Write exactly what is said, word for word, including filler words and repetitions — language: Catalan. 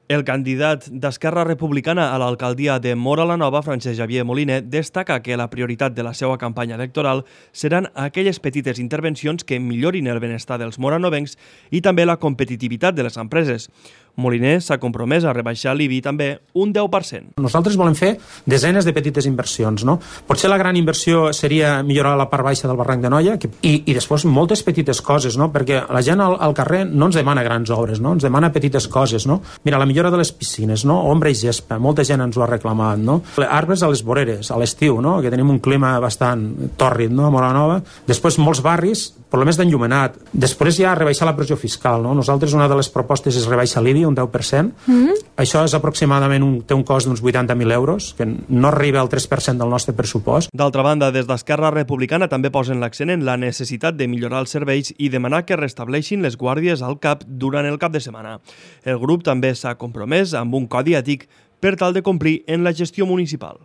El candidat d'Esquerra Republicana a l'alcaldia de Móra la Nova, Francesc Xavier Moliner, destaca que la prioritat de la seva campanya electoral seran aquelles petites intervencions que millorin el benestar dels moranovencs i també la competitivitat de les empreses. Moliner s'ha compromès a rebaixar l'I B I també un deu per cent. Nosaltres volem fer desenes de petites inversions, no? Potser la gran inversió seria millorar la part baixa del barranc de Noia que, i, i després moltes petites coses, no? Perquè la gent al, al carrer no ens demana grans obres, no? Ens demana petites coses, no? Mira, la millora de les piscines, no? Ombra i gespa, molta gent ens ho ha reclamat, no? Arbres a les voreres, a l'estiu, no? Que tenim un clima bastant tòrrid, no? A Móra la Nova. Després molts barris, problemes d'enllumenat. Després ja rebaixar la pressió fiscal, no? Nosaltres una de les propostes és rebaixar l'I B I un deu per cent. Mm-hmm. Això és aproximadament un, té un cost d'uns vuitanta mil euros, que no arriba al tres per cent del nostre pressupost. D'altra banda, des d'Esquerra Republicana també posen l'accent en la necessitat de millorar els serveis i demanar que restableixin les guàrdies al cap durant el cap de setmana. El grup també s'ha compromès amb un codi ètic per tal de complir en la gestió municipal.